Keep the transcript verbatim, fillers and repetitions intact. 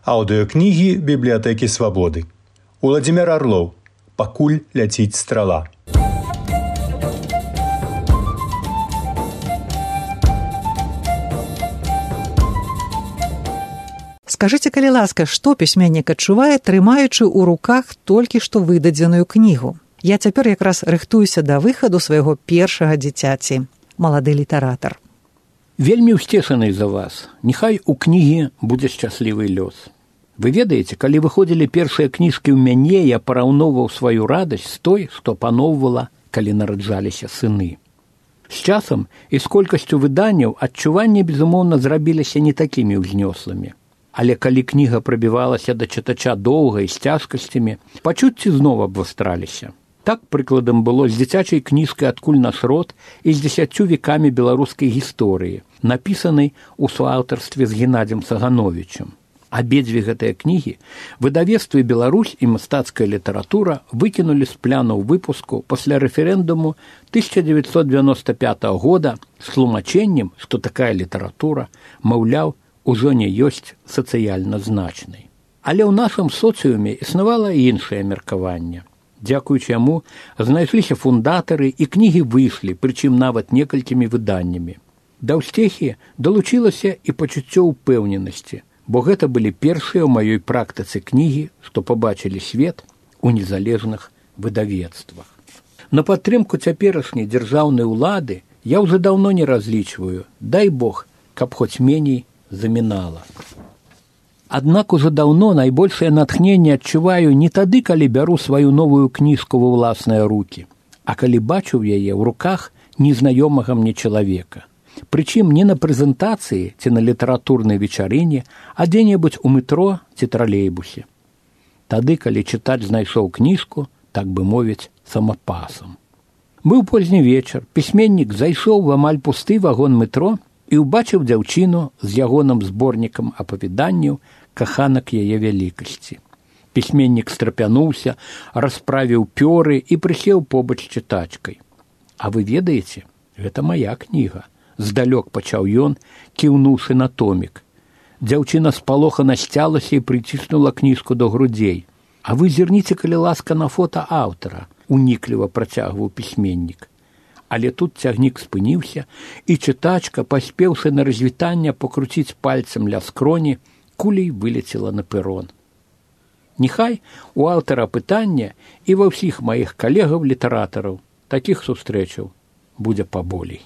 Аўдыёкнігі бібліятэкі свабоды. Уладзімір Арлоў. Пакуль ляціць страла. Скажыце, калі ласка, што пісьменнік адчувае, трымаючы ў руках толькі што выдадзеную кнігу? Я цяпер якраз рыхтуюся да выхаду свайго першага дзіцяці. Малады літаратар. Вельмі ўсцешаны за вас. Няхай у кнігі будзе шчаслівы лёс. Вы ведаеце, калі выходзілі першыя кніжкі ў мяне, я параўноўваў сваю радасць з той, што паноўвала, калі нараджаліся сыны. З часам і з колькасцю выданняў адчуванні, безумоўна, зрабіліся не такімі ўзнёслымі. Але калі кніга прабівалася да чытача доўга і з цяжкасцямі, пачуцці зноў абвастраліся. Так, прыкладам, было з дзіцячай кніжкай «Адкуль наш род» і з дзесяццю векамі беларускай гісторыі, напісанай у суаўтарстве з Геннадзем Сагановічем. Абедзве гэтыя кнігі выдавецтвы «Беларусь» і «Мастацкая літаратура» выкінулі з планаў выпуску пасля рэферэндуму тысяча дзевяцьсот дзевяноста пятага года з тлумачэннем, што такая літаратура, маўляў, ужо не ёсць сацыяльна значнай. Але ў нашым соцыуме існавала і іншае меркаванне. Дзякуючы яму знайшліся фундатары і кнігі выйшлі, прычым нават некалькімі выданнямі. Да ўсцехі далучылася і пачуццё ўпэўненасці, бо гэта былі першыя ў маёй практыцы кнігі, што пабачылі свет у незалежных выдавецтвах. На падтрымку цяперашняй дзяржаўнай улады я ўжо даўно не разлічваю, дай Бог, каб хоць меней замінала. Аднак ужо даўно найбольшае натхненне адчуваю не тады, калі бяру сваю новую кніжку ва ўласныя рукі, а калі бачу яе ў руках незнаёмага мне чалавека. Прычым не на прэзентацыі ці на літаратурнай вечарыне, а дзе-небудзь у метро ці тралейбусе. Тады, калі чытач знайшоў кніжку, так бы мовіць, самапасам. Быў позні вечар, пісьменнік зайшоў в амаль пусты вагон метро і ўбачыў дзяўчыну з ягоным зборнікам апавяданняў каханак яе вялікасці. Пісьменнік страпянуўся, расправіў пёры і прысеў побач з чытачкай. А вы ведаеце, гэта мая кніга. Здалёк пачаў ён, кіўнуўшы на томік. Дзяўчына спалохана сцялася і прыціснула кніжку до грудзей. А вы зірніце, калі ласка, на фота аўтара, унікліва працягваў пісьменнік. Але тут цягнік спыніўся, і чытачка, паспеўшы на развітанне пакруціць пальцам ля скроні, кулей вылецела на пэрон. Няхай у аўтара пытання і ва ўсіх маіх калегаў-літаратараў такіх сустрэчаў будзе паболей.